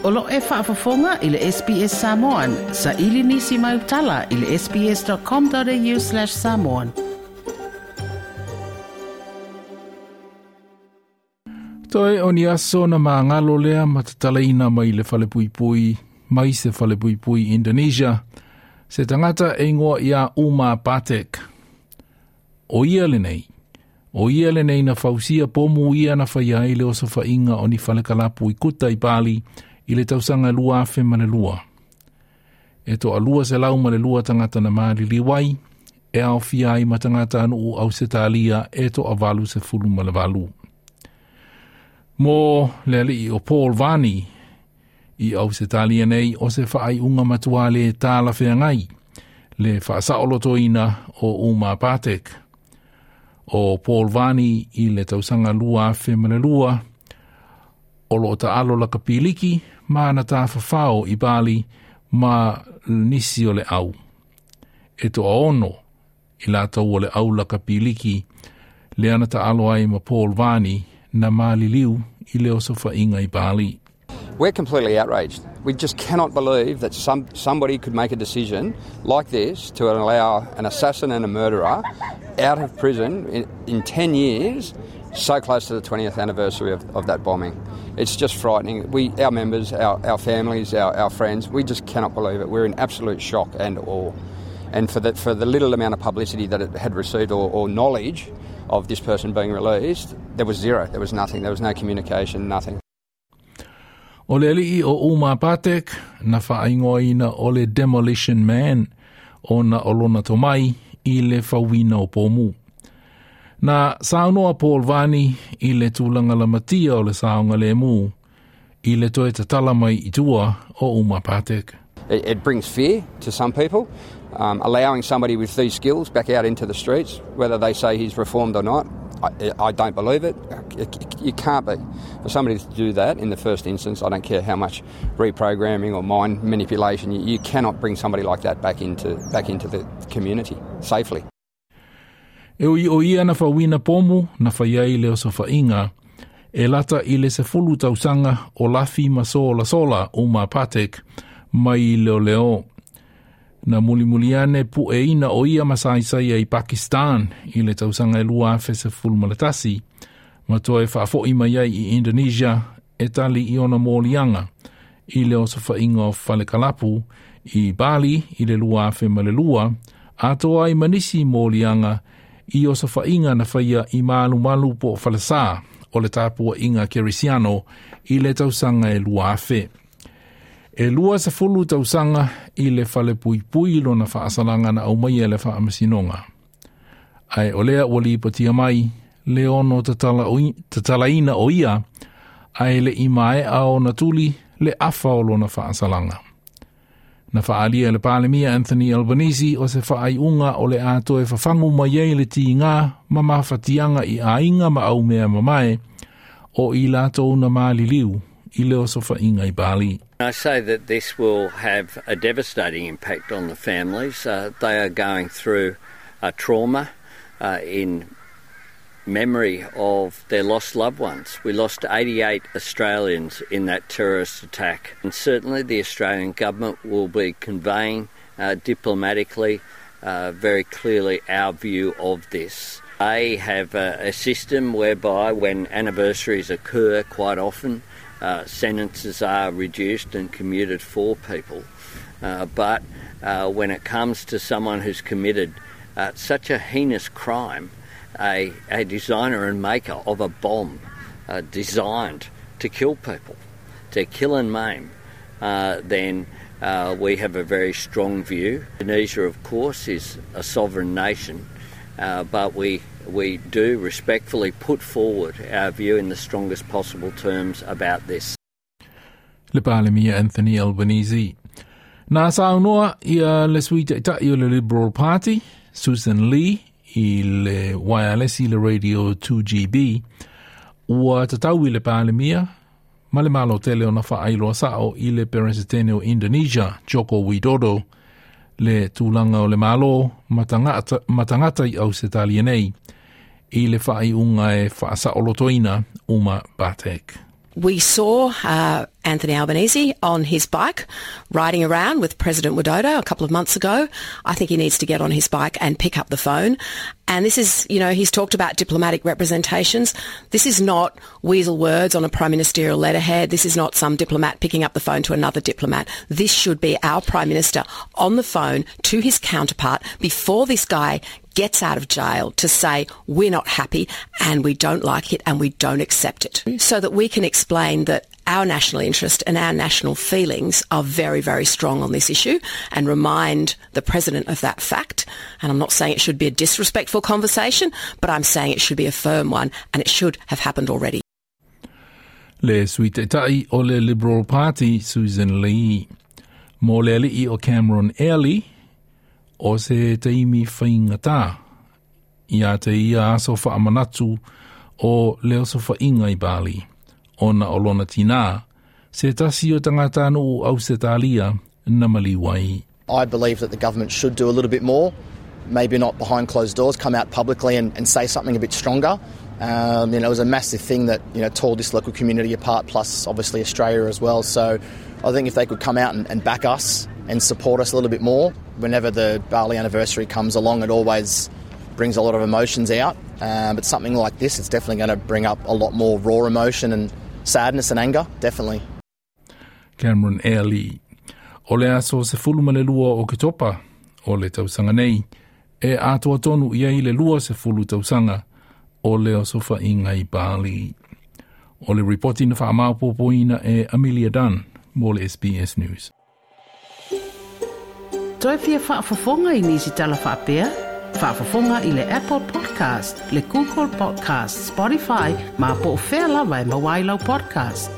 O lo e faafofoga i le SBS Samoan. Saili nisi mau tala i le sbs.com.au/samoan. Toe o ni aso na māngalo lea ma tatalaina mai le falepuipui, mai se falepuipui Indonesia, se tangata e ingoa ia Uma Batek. O ia lenei, o ia lenei na fausia pomu ia na whaia i le osofaiga o ni falekalapu i kuta i Bali i le tausaga 2002. E toa 202 tangata na maliliu ai, e aofia ai ma tagata nuu Ausetalia e toa 88. Mo le alii o Paul Vani i Ausetalia nei o se faaiuga matua le talafeagai, le faasaolotoina o Uma Batek. O Paul Vani i le tausaga 2002, o lo o taalo lakapiliki ma na tafafao i Bali ma nisi o le au. E toa 6 i latou o le au lakapiliki le ana taalo ai ma Paul Vani na maliliu i le osofaiga i Bali. We're completely outraged. We just cannot believe that somebody could make a decision like this to allow an assassin and a murderer out of prison in 10 years, so close to the 20th anniversary of that bombing. It's just frightening. We, our members, our families, our friends, we just cannot believe it. We're in absolute shock and awe. And for the little amount of publicity that it had received or knowledge of this person being released, there was zero. There was nothing. There was no communication, nothing. O le alii o Uma Batek na whaingoaina o le Demolition Man o na o lona tomai i le fauina o pōmu. Na saunoa Paul Vani i le tulaga lamatia o le saoga lemu i le toe tatala mai i tua o Uma Batek. It brings fear to some people, allowing somebody with these skills back out into the streets, whether they say he's reformed or not, I don't believe it. You can't be. For somebody to do that in the first instance, I don't care how much reprogramming or mind manipulation, you cannot bring somebody like that back into the community safely. E ui o ia na fauina pomu na whaiai le osofaiga, e lata i le 10 tausaga o lafi ma sola sola Uma Patek mai leo leo. Na mulimuliane pu e ina o ia masaisaia i Pakistan i le tausaga e 2011, ma toe faafoi mai ai i Indonesia e tali i ona moliaga i le osofaiga o falekalapu i Bali i le 2002, atoa ai ma nisi moliaga i osofaiga na faia i malumalu po o falesā o le tapuaiga kerisiano i le tausaga e 2000. E 20 tausaga i le fale puipui lona faasalaga na aumaia le faamasinoga. Ae o lea ua lipotia mai le ono tatalaina o ia ae le i maea ona tuli le afa o lona faasalaga. Na faalia le Palemia Anthony Albanese o se faaiuga o le a toe fafagu mai ai le tiga ma mafatiaga i aiga ma aumea mamae o i latou na maliliu i le osofaiga i Bali. I say that this will have a devastating impact on the families. They are going through a trauma in memory of their lost loved ones. We lost 88 Australians in that terrorist attack. And certainly the Australian government will be conveying diplomatically very clearly our view of this. They have a system whereby when anniversaries occur quite often, sentences are reduced and commuted for people. But when it comes to someone who's committed such a heinous crime, a designer and maker of a bomb designed to kill people, to kill and maim, then we have a very strong view. Indonesia, of course, is a sovereign nation, but we do respectfully put forward our view in the strongest possible terms about this. Le Palemia Anthony Albanese. Na saunoa ia le sui taitai o le Liberal Party, Susan Lee, i le wireless i le radio 2GB, ua tatau i le Palemia ma le malo tele ona faailoa sao i le Peresetene o Indonesia, Joko Widodo, le tulaga o le malo ma tagata i Ausetalia nei, i le faaiuga e faasaolotoina Uma Batek. We saw Anthony Albanese on his bike riding around with President Widodo a couple of months ago. I think he needs to get on his bike and pick up the phone. And this is, you know, he's talked about diplomatic representations. This is not weasel words on a prime ministerial letterhead. This is not some diplomat picking up the phone to another diplomat. This should be our prime minister on the phone to his counterpart before this guy gets out of jail to say we're not happy and we don't like it and we don't accept it, so that we can explain that our national interest and our national feelings are very, very strong on this issue and remind the president of that fact. And I'm not saying it should be a disrespectful conversation, but I'm saying it should be a firm one and it should have happened already. Le Sui Taitai o le Liberal Party, Susan Lee. Mo le ali'i o Cameron Airlie, o se taimi faigata ia te ia aso faamanatu o le osofaiga i Bali, ona o lona tinā, se tasi o tagatanuu Ausetalia na maliu ai. I believe that the government should do a little bit more, maybe not behind closed doors, come out publicly and say something a bit stronger. It was a massive thing that tore this local community apart, plus obviously Australia as well. So I think if they could come out and back us and support us a little bit more, whenever the Bali anniversary comes along, it always brings a lot of emotions out. But something like this, it's definitely going to bring up a lot more raw emotion and sadness and anger, definitely. Cameron Airlie. O le aso 12 o Ketopa o le tausaga nei, e atoa tonu i ai le 20 tausaga o le osofaiga i Bali. O le ripoti na faamaopoopoina e Amelia Dunn mo le SBS News. Toe fia faafofoga i nisi tala faapea? Faafofoga i le Apple Podcast, le Google Podcast, Spotify, ma po o fea lava e maua ai lau podcast.